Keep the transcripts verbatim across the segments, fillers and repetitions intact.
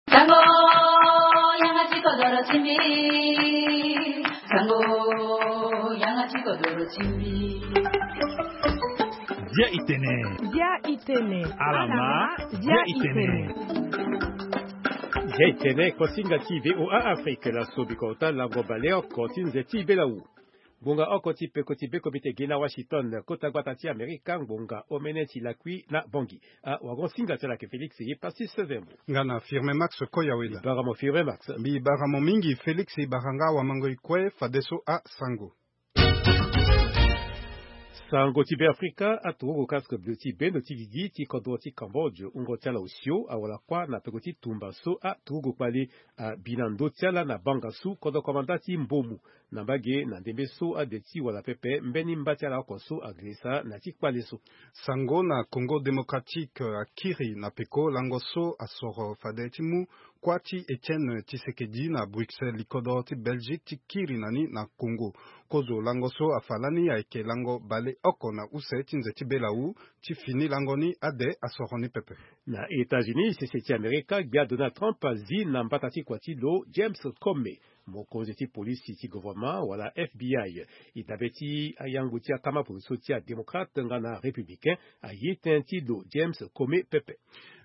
Sango, yanga ti kodoro ti mbi. Sango, yanga ti kodoro ti mbi. Dia itene. Dia itene. Alama. Dia itene. Dia itene, kosinga ti VOA Afrique, la sobi kota lango baleoko ti nze ti belawu. Ngbonga oko ti peko ti beko mbi te gi na Washington, kota gbata ti Amerika, ngbonga omene ti lakui na Bangui. A wagon singa ti ala ke Félix ye pasi sezembo. Nga na Firme Max Koyawela. Mbi bara mo Firme Max. Mbi bara mo mingi Félix, i bara nga wamango i kue fadeso a sango. Sango ti Be Afrika, aturugu casque bleu ti bendo ti gigi ti kodro ti Cambodge, wungo ti ala osio awara kuâ na peko ti tumba so aturugu kpali abi na ndö ti ala na banga su kodro komanda ti Mbomu. Na mbage na ndembe so ade ti wala pepe mbeni mba ti ala oko so agirisa na ti kpale so. Sango na Congo Démocratique, akiri na peko lango so asoro fade ti mu kuâ ti Etienne Tshisekedi na Bruxelles, likodro ti Belgique ti kiri na ni na Congo. Kozo lango so afa lani ayeke lango baleoko na use ti nze ti belawu. Ti fini lango ni ade asoro ni pepe. Na États-Unis, sese ti Amerika, gbia Donald Trump azi na mbata ti kua ti lo James Comey, mokonzi ti polisi ti gouvernement wala F B I. E dabe ti ayangu ti akama poroso ti adémocrate nga na républicain aye tënë ti lo James Comey pepe.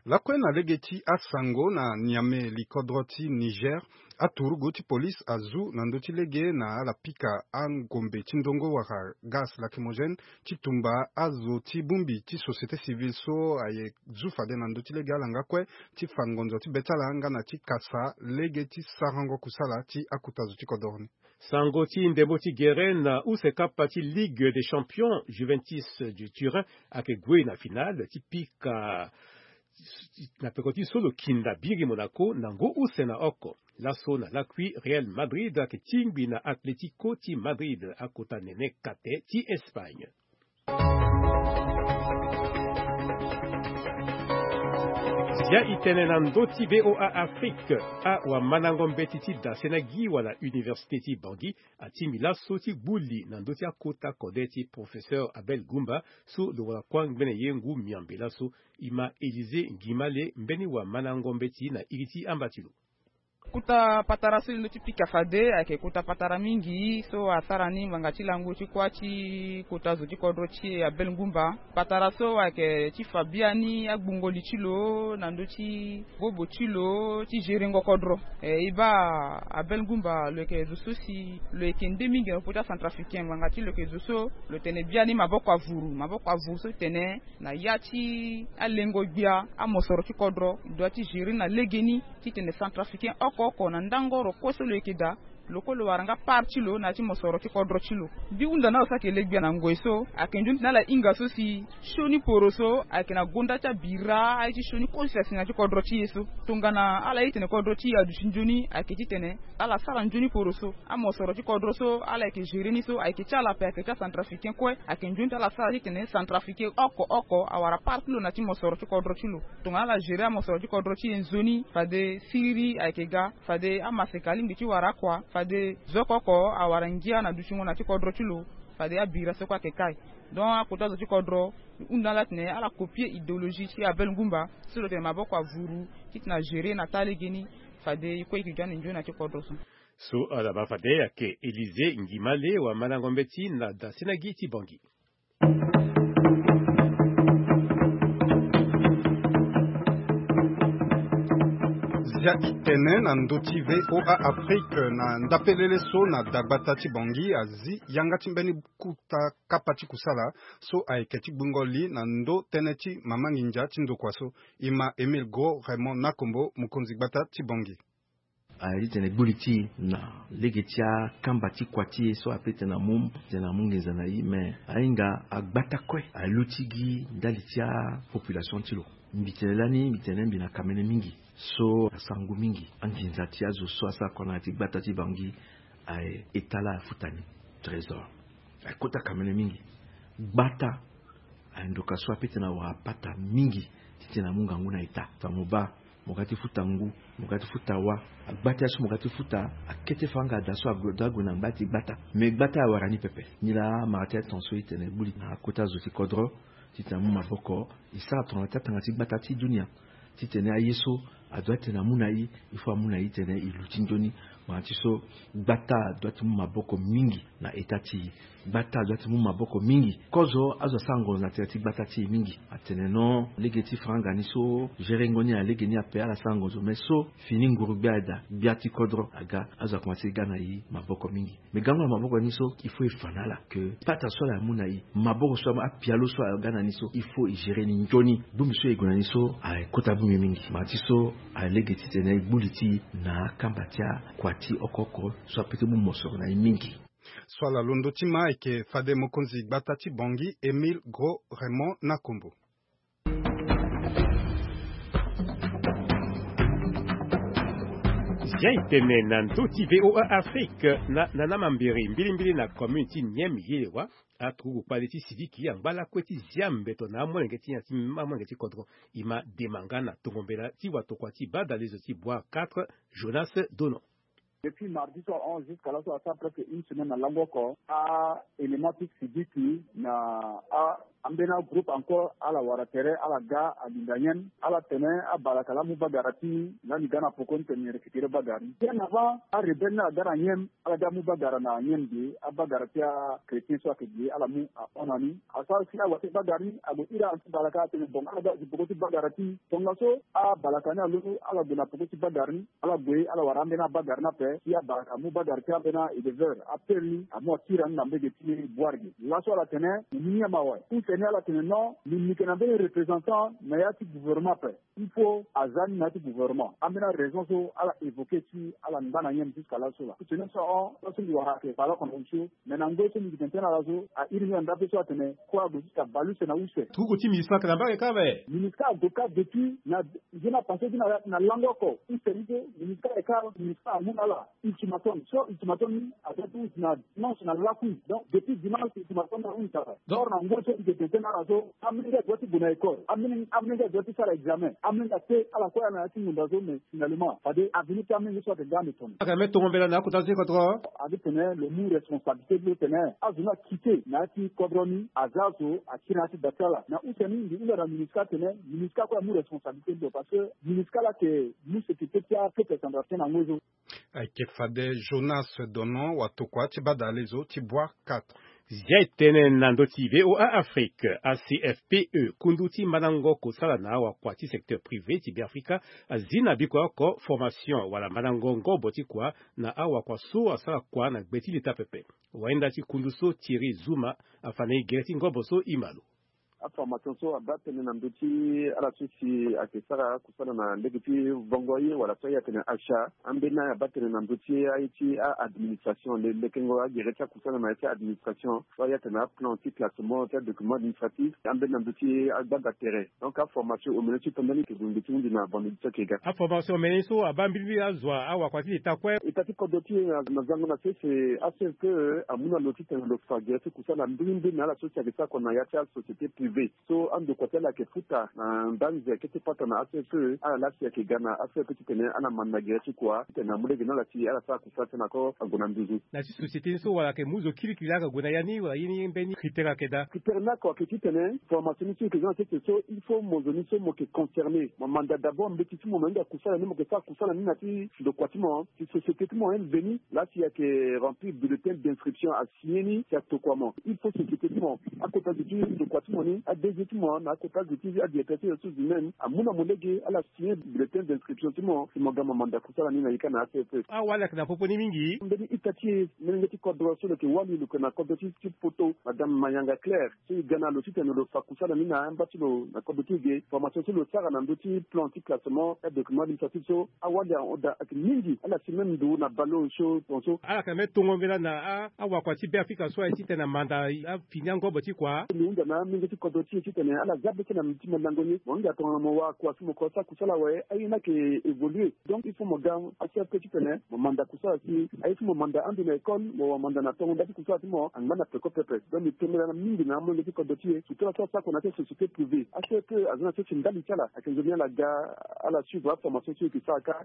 Lakue na lege ti asango na Niamey, likodro ti Niger, aturugu ti polisi azu na ndö ti lege na ala pika angombe ti ndongo wala gaz lacrymogène ti tumba azo ti bongbi ti société civile so aye zu fade na ndö ti lege ala nga kue ti fa ngonzo ti be ti ala nga na ti kasa lege ti sarango kusala ti akota zo ti kodoro ni. Sango ti ndembo ti gere na use kapa ti Ligue des Champions, Juventus du Turin ayeke gue na finale ti pika na peko ti so lo kinda biri Monaco na ngu use na oko. Laso na lakui, Real Madrid ayeke tingbi na Atlético ti Madrid, akota nene kate ti Espagne. Zia e tene na ndö ti VOA Afrique, awamandango mbeti ti dasena gi wala université ti Bangui atingbi laso ti gbu li na ndö ti akota kode ti professeur Abel Goumba, so lo wara kuâ ngbene ye ngu miambe laso. E ma Élysée Ngimale, mbeni wamandango mbeti na iri ti amba ti lo. Kota patara so e londo ti pika fade ayeke kota patara mingi so asara ni ngbanga ti lango ti kuâ ti kota zo ti kodro ti e Abel Ngumba. Patara so ayeke ti fa biani agbungo li ti lo na ndö ti bobo ti lo ti gerengo kodro. E, e baa Abel Ngumba lo yeke zo so si lo yeke nde mingi na popo ti acentrafricain ngbanga ti lo yeke zo so lo tene biani maboko avuru, maboko avuru so tene na ya ti alengo gbia amosoro ti kodro, e doit ti gérer na legeni titene centrafricain oko oko na ndango oro kue so lo yeke daa, lo kue lo wara nga part ti lo na ya ti mosoro ti kodro ti lo. Mbi hunda na ala so ayeke le gbia na ngoi so ayeke nzoni titene ala hinga so si sioni poro so ayeke na gonda ti abira aye ti sioni kue so si asi na ya ti kodro ti e so. Tongana ala ye titene kodro ti e aduti nzoni, ayeke titene ala sara nzoni poro so. Amosoro ti kodro so ala yeke gérer ni so ayeke ti ala ape, ayeke ti acentrafricain kue. Ayeke nzoni ti ala sara titene centrafricain oko oko awara part ti lo na ya ti mosoro ti kodro ti lo. Tongana ala gérer amosoro ti kodro ti e nzoni, fade siriri ayeke ga, fade amaseka alingbi ti wara akua, fade zo oko oko awara ngia na dutingo na ya ti kodro ti lo, fade abira so kue ayeke kai. Donc akota zo ti kodro, e hunda ala titene ala copier idéologie ti Abel Ngumba so lo tene maboko avuru titene agérer na taa legeni. Fade e kue e yeke ga na e nzoni na ya ti kodro so. So ala baa fade ayeke Élysée Ngimale, wamandango mbeti na dasena gi ti Bangui. Zia e tene na ndö ti VOA Afrique na ndapelele so na dagbata ti Bangui azi yanga ti mbeni kota kapa ti kusala so ayeke ti gbungo li na ndö tënë ti mama nginza ti ndokua so. E ma Émile Gros Raymond Nakombo, mokonzi gbata ti Bangui. Aye ti tene gbu li ti e na lege ti akamba ti kua ti e so ape tene amu tene amu nginza na e, me ahinga agbata kue aluti gi ndali ti apopulation ti lo. Mbi tene lani, mbi tene mbi na kamene mingi so asara ngu mingi. Anginza ti azo so asara kua na ya ti gbata ti Bangui aye, e tala afuta ni trésor. Aye kota kamene mingi. Gbata aye ndoka so ape tene awara pata mingi titene amu ngangu na eta. Fa mo baa mo ga ti futa ngu, mo ga ti futa wa. Agbata so mo ga ti futa akete fanga ada so ague, ague na ngba ti gbata. Me gbata awara ni pepe. Nilaa amara ti aton so e tene gbu li na akota zo ti kodro titene amu maboko e sara tongana ti atanga ti gbata ti dunia, titene aye so Adoit tene amu na i, il faut amu na i tene i luti njoni. Mara ti so gbata adoit ti mu maboko mingi na eta ti i. Gbata adoit ti mu maboko mingi. Kozo azo asara ngonzo na tere ti gbata ti i mingi. Atene non, lege ti franga ni so gerengo ni alege ni ape, ala sara ngonzo, mais so fini nguru gbia ada, gbia ti kodro aga, azo akomanse ga na i maboko mingi. Mais gango na maboko ni so, il faut e fa na ala ke pata so ala amu na i, maboko so apialo so aga na ni so, il faut e gérer ni njoni. Bongbi so e gue na ni so, a kota bongbi mingi. Mara ti so alege titene e gbu li ti i na akamba ti akua ti oko oko so ape ti mu mosoro na i mingi. So ala londo ti ma ayeke fade mokonzi gbata ti Bangui, Émile Gros Raymond Nakombo. Zia e tene na ndö ti V O A Afrique na, na, na mambiri mbilimbili na commune ti Nieme Yelewa. Aturugu kpale ti siviki angba lakue ti zia mbeto na amolenge ti nyen ti amolenge ti kodro. E ma dema nga na tongo mbela ti watokua ti badalezo ti Bois quatre, Jonas Dono. Depuis mardi so ahon jusqu'à laso asara presque une semaine na lango oko, a-élément ti siviki na a, ambeni agroupe encore ala wara tere, ala ga alinda Nieme, ala tene abalaka laa amu bagara ti lani ga na poko ni tene récupérer bagara ni. Bien avant, arebelle ni aga na Nieme, ala ga amu bagara na Nieme ge, abagara ti achrétien so ayeke ge, ala mu ahon na ni. Asara si awa ti bagara ni ague iri abalaka atene bon, ala ga azi poko ti bagara ti. Tongaso abalaka ni alondo, ala gue na poko ti bagara ni. Ala gue, ala wara ambeni abagara ni ape, si abalaka amu bagara ti ambeni a-éleveur, apere ni, amu akiri ni na mbege ti Boirge. Laso ala tene, mo mu ni ama awe. Use ni ala tene non, mbi, mbi yeke na mbeni représentant na ya ti gouvernement ape. Il faut aza ni na ya ti gouvernement. Ambeni araison so ala évoquer si ala ngba na Nieme jusqu'à laso laa. Tene so ahon, laso mbi wara ayeke bale oko na osio. Mais na ngoi so mbi yeke tene tënë na ala so, a iri ni na ndape so atene, kue ague ti ka bale use na use. Turugu ti MINUSCA ayeke na mbage kâ awe. MINUSCA ague kâ depuis na, nzoni apassé ti na, na lango oko. Use ni so, MINUSCA ayeke kâ, MINUSCA amu na ala ultimatum. So ultimatum ni, aza ti hunzi na dimanche na lakui. Donc, depuis dimanche, ultimatum ni ahunzi awe. Donc, or na ngoi so mbi yeke tene tënë na ala so, amolenge adoit ti gue na école. Amolenge, amolenge adoit ti sara examen. Amolenge ate, ala kue ala na ya ti ngonda so, mais finalement, fade avenir ti amolenge so ayeke ga ande tongana. Ayeke na mbeni tongo mbela na akota ti kodro. Agi tene lo mu responsabilité ti lo tene azo ni akite na ya ti kodro ni, aza azo akiri na ya ti da ti ala. Na use ni mbi hunda na MINUSCA tene MINUSCA kue amu responsabilité ti lo, parce que MINUSCA laa ayeke mu sécurité ti apeuple centrafricain na ngoi so. Ayeke fade Jonas Donon, watokua ti badalezo ti Bois quatre. Zia e tene na ndö ti V O A Afrique, A C F P E, kundu ti mandango kosala na awakua ti secteur privé ti Beafrika, azi na bikua oko formation wala mandango ngobo ti kua na awakua so asara kua na gbe ti leta pepe. Wayenda ti kundu so, Thierry Zuma, afa na e gere ti ngobo so e ma lo. Aformation so abaa tënë na ndö ti ala so si ayeke sara kusala na lege ti vongo ye wala so aye atene achat. Ambeni aye abaa tënë na ndö ti aye ti a-administration, le, lekengo agere ti akusala na ya ti a-administration, so aye atene aplan ti classement ti adocument administratif, ambeni na ndö ti agbanga tere. Donc aformation omene so e to mbeni ayeke gue ngbe ti hunzi na vendredi so ayeke ga. Aformation omene so abaa mbilimbili azo, awakua ti leta kue. Eta ti kodro ti e na, na zango na sese, A C F P E amu na lo titene lo fa gere ti kusala mbilimbili na ala so si ayeke sara kua na ya ti asociété privée. So andokua ti ala ayeke futa na ndanze kete pata na A C F P E, ala laa si ayeke ga na A C F P E titene ala manda gere ti kua titene amu lege na ala si ala sara kusala ti ala na ko ague na nduzu. Na ya ti société ni so wala ayeke mu zo kirikiri laa ayeke gue na ya ni, wala ye ni mbeni critère ayeke daa? Critère ni oko ayeke titene formation ni so e yeke za na sese so, il faut mo zo ni so mo yeke concerné. Mo manda d'abord mbeti ti mo, mo hinga kusala ni, mo yeke sara kusala ni na ya ti ndokua ti mo, ti société ti mo, M V ni, laa si ayeke remplir bulletin d'inscription, asigné ni, si atokua mo. Il faut société ti mo, akota zo ti ndokua ti mo ni, A D G ti mo na akota zo ti adirecteur ti ressources humaines amu na mo lege, ala signé bulletin d'inscription ti mo, si mo ga mo manda kusala ni na ika na A C F P E. Awali ayeke na popo ni mingi. Mbeni ita ti e, molenge ti kodro so lo yeke wali, lo yeke na kodro ti, ti poto, Madame Mayanga Claire. So e ga na lo titene lo fa kusala ni na amba ti lo na kodro ti e ge. Formation so lo sara na ndö ti plan ti classement ti adocument administratif so, awali ahon daa ayeke mingi. Ala si même ndo na baleon so, tongaso. Ala yeke na mbeni tongo mbela na a, awakua ti Beafrika so aye titene amanda afini angobo ti kua. Lo hunda na amolenge ti kodro ti e titene ala za beke na ti mandango ni. Mo hinga tongana mo wara kua si mo ko sara kusala awe, aye ni ayeke évoluer. Donc il faut mo ga A C F P E titene mo manda kusala si, aye ti mo manda ando na école, mo wara manda na tongo nda ti kusala ti mo angba na peko pepe. Donc mbi tombela na mingi na amolenge ti kodro ti e, surtout ala so asara kua na ya ti société privée. A C F P E aza na ya ti ndali ti ala, ayeke nzoni ala ga, ala suivre aformation so e yeke sara kâ.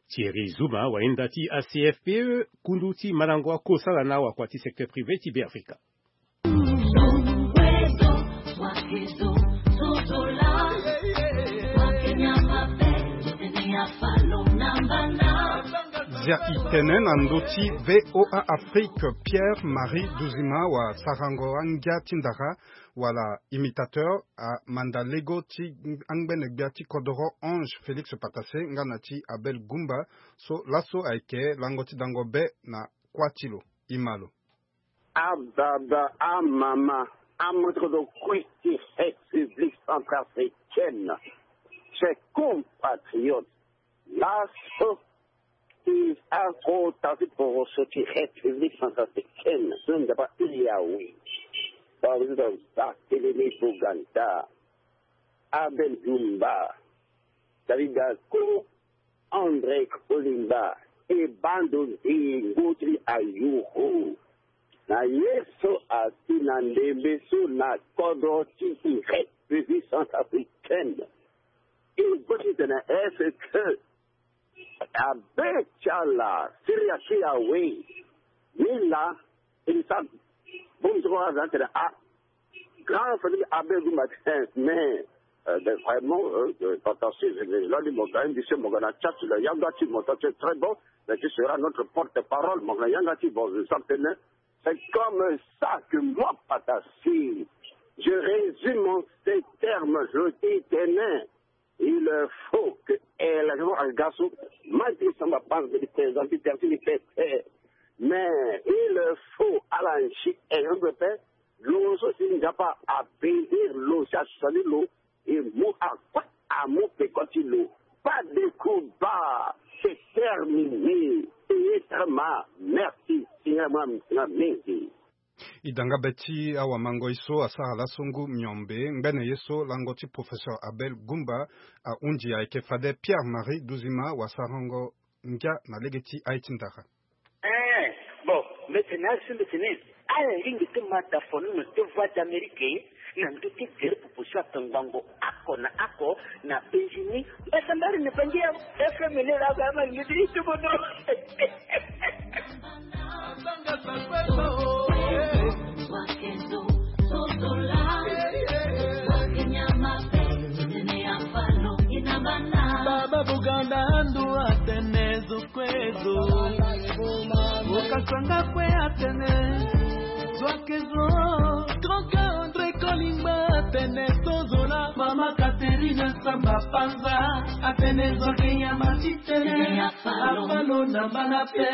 Thierry Zuma, wayenda ti A C F P E, kundu ti mandango akosala na awakua ti secteur privé ti Beafrika. Zia itene na ndö ti VOA Afrique, Pierre Marie Duzima wa sarango angia ti ndara wala imitateur amanda lego ti angbene gbia ti kodoro Ange Félix Patassé nga na ti Abel Gumba, so laso ayeke lango ti dango be na kuâ ti lo. I ma lo. Ababa, amama, amoto kue ti République centrafricaine, chers compatriotes, laso ti akota ti poroso ti République centrafricaine so nzapa ti Yawe. Président Barthélémy Boganda, Abel Gumba, David Dako, André Kolimba, e bando nzingo ti ayuru na ye so asi na ndembe so na kodro ti République centrafricaine. E go titene est-ce que abe ti ala siri ya ti Yawe ni laa? E sa bongbi ti kua aza tene a grand famille Abel Gumba, mais euh, ben, vraiment euh, euh, attention, je vais là mo ga un monsieur mo ga na chat la yanga ti mo, ça c'est très bon, mais tu seras notre porte-parole mo ga na yanga ti bon, je sais tene c'est comme ça que moi Patassé, je résume en ces termes, je dis tene il faut que eh, la raison en garçon, ma ti samba pense de présenter terme ni pe, mais il faut ala nsi e pe lo so si nzapa abénir lo si asali lo e mu akue amu peko ti lo. Pas de combat, c'est terminé. Payé très mal. Merci. Seigneur moi mingi. I da nga be ti awamangoi so asara laso ngu miombe ngbene ye so lango ti professeur Abel Gumba ahunzi ayeke fade Pierre Marie Duzima wa sarango ngia na lege ti aye ti ndara. Eh, bon, mbeti na asi mbeti ni. Ala lingbi ti ma da fono na ti Voix d'Amérique na ndö ti gere proposition atongbango ako na ako na benzini. Mbeti mbari ni bangi ya F M ni la ga ma ni ti bono. Baba Buganda andu atene zo kue zo. Okasanga kue atene zo ake zo. Grand cœur André Kolimba atene tozola. Mama Catherine Samba Panza atene zo ake nyama ti tene. Afalo na bana pe.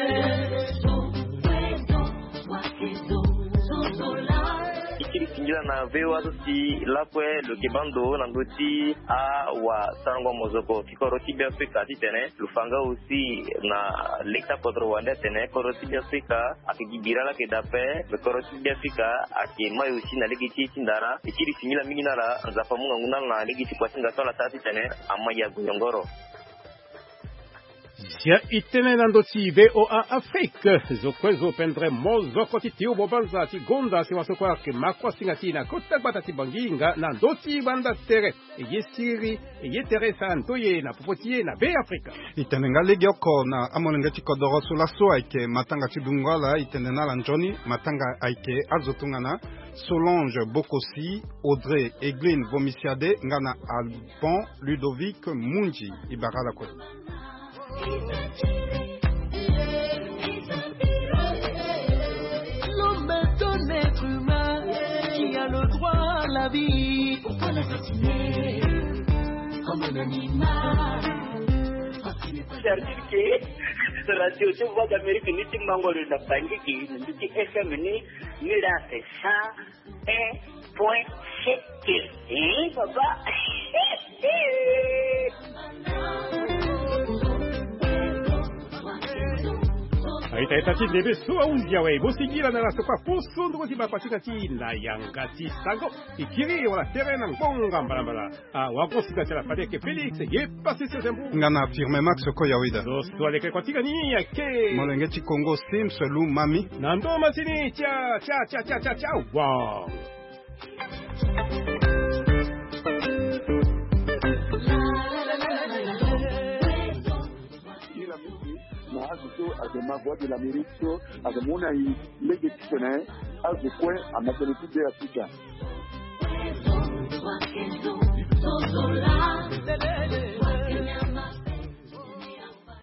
E kiri singila na V O A so si lakue lo yeke baa ndo na ndö ti awasarango mozoko ti kodro ti Beafrika titene lo fa nga aussi na lege ti akodro wande atene kodro ti Beafrika ayeke gi bira laa ayeke daa ape. Me kodro ti Beafrika ayeke mai aussi na lege ti ye ti ndara. E kiri singila mingi na ala, Nzapa amu ngangu na ala na lege ti kua ti nga so ala sara titene amai ague nyongoro. Zia itene na ndö ti V O A Afrique. Zo kue zo pendere mozoko ti tio bobanza ti gonda si waso kue ayeke ma kua singa ti e na kota gbata ti Bangi nga na ndö ti banda tere. E ye siriri, e ye tere e sara ndoye na popo ti e na Beafrika. E tene nga legeoko na amolenge ti kodoro so laso ayeke matanga ti dungo ala. E tene na ala nzoni matanga ayeke azo tongana Solange Bokosi, Audrey Egline Vomisiade nga na Alban Ludovic Munzi. E bara ala kue. L'homme est un être humain qui a le droit à la vie. Pourquoi l'assassiner comme un animal? C'est-à-dire que radio ti Voix d'Amérique ni ti mango lo na Bangi ki ni ti F M ni, ni la c'est ça. Un point sept. Hein, papa? Aita aita ti ndembe so ahunzi awe, mo singila na ala so kue aposo ndoko ti bapa ti ka ti na yanga ti sango. E kiri wala tere na ngbonga mbalambala. Ah, wago sika ti ala fade ayeke Félix ye Pacifique Zembo. Nga na Firme Max ko Yawida. Zo so aleke kua ti ga ni ayeke molenge ti Kongo Sims Lumami. Na ndo masini tia tia tia tia tia tia. Wow. Ila mingi na azo so ayeke ma Voix de l'Amérique so ayeke mu na e lege titene azo kue ama tënë ti Beafrika.